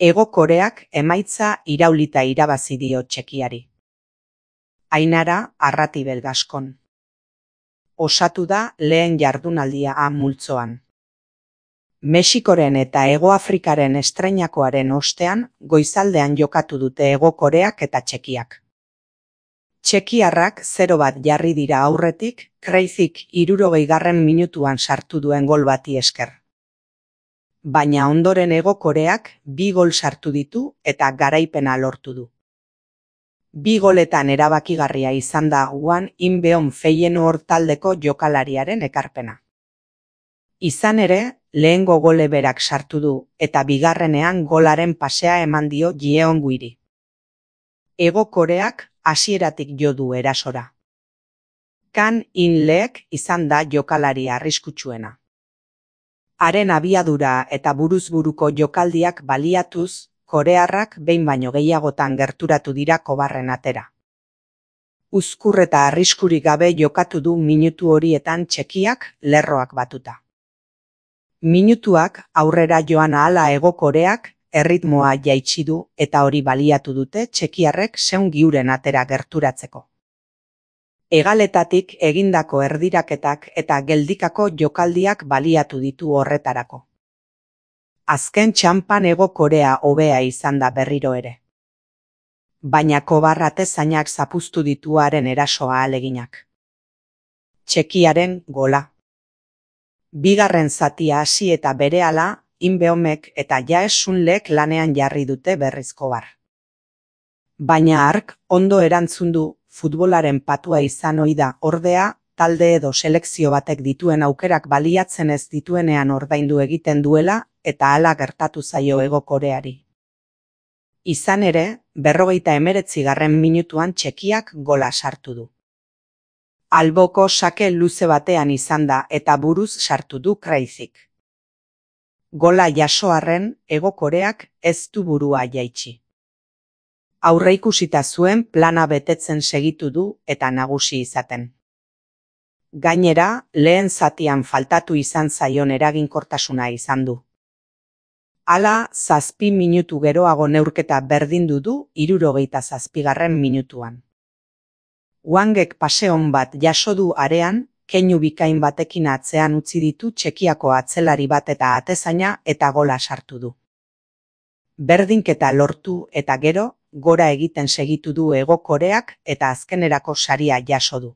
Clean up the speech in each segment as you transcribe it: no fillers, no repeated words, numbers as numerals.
Hego Koreak emaitza iraulita irabazi dio Txekiari. Ainara Arratibel Gaskon. Osatu da lehen jardunaldia A multzoan. Mexikoren eta Hego Afrikaren estreinakoaren ostean goizaldean jokatu dute Hego Koreak eta Txekiak. Txekiarrak 0-1 jarri dira aurretik, Crazyk 60. minutuan sartu duen gol bati esker. Baina ondoren Hego Koreak 2 gol sartu ditu eta garaipena lortu du. 2 goletan erabakigarria izan da Hwang In-beom Feyenoord taldeko jokalariaren ekarpena. Izan ere, lehengo gole berak sartu du eta bigarrenean golaren pasea eman dio Jeongwiri. Hego Koreak hasieratik jo du erasora. Kang In-leek izan da jokalari arriskutsuena. Haren abiadura eta buruz-buruko jokaldiak baliatuz, korearrak behin baino gehiagotan gerturatu dira kobarren atera. Uzkur eta arriskurik gabe jokatu du minutu horietan Txekiak lerroak batuta. Minutuak aurrera joan ahala Hego Koreak erritmoa jaitsi du eta hori baliatu dute txekiarrek Seungiuren atera gerturatzeko. Hegaletatik egindako erdiraketak eta geldikako jokaldiak baliatu ditu horretarako. Azken txanpan Hego Korea hobea izan da berriro ere. Baina kobar atezainak zapuztu ditu haren erasoa ahaleginak. Txekiaren gola. Bigarren zatia hasi eta berehala, In-beomek eta Jae Sun-leek lanean jarri dute berriz kobar. Baina hark ondo erantzun du, futbolaren patua izan ohi da, ordea, talde edo selekzio batek dituen aukerak baliatzen ez dituenean ordaindu egiten duela eta hala gertatu zaio Hego Koreari. Izan ere, 59. minutuan Txekiak gola sartu du. Alboko sake luze batean izan da eta buruz sartu du Crazyk. Gola jaso arren, Hego Koreak ez du burua jaitsi. Aurreikusita zuen plana betetzen segitu du eta nagusi izaten. Gainera, lehen zatian faltatu izan zaion eraginkortasuna izan du. Hala, 7 minutu geroago neurketa berdindu du 67. minutuan. Hwangek pase on bat jaso du arean, keinu bikain batekin atzean utzi ditu Txekiako atzelari bat eta atezaina eta gola sartu du. Berdinketa lortu eta gero, gora egiten segitu du Hego Koreak eta azkenerako saria jaso du.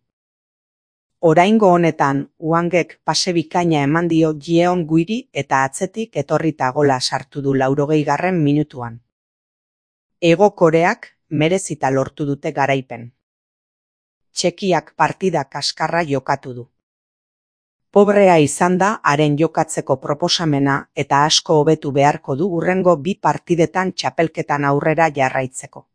Oraingo honetan, Hwangek pase bikaina eman dio Jeongwiri eta atzetik etorrita gola sartu du 80. minutuan. Hego Koreak merezita lortu dute garaipen. Txekiak partida kaskarra jokatu du. Pobrea izan da haren jokatzeko proposamena eta asko hobetu beharko du hurrengo 2 partidetan txapelketan aurrera jarraitzeko.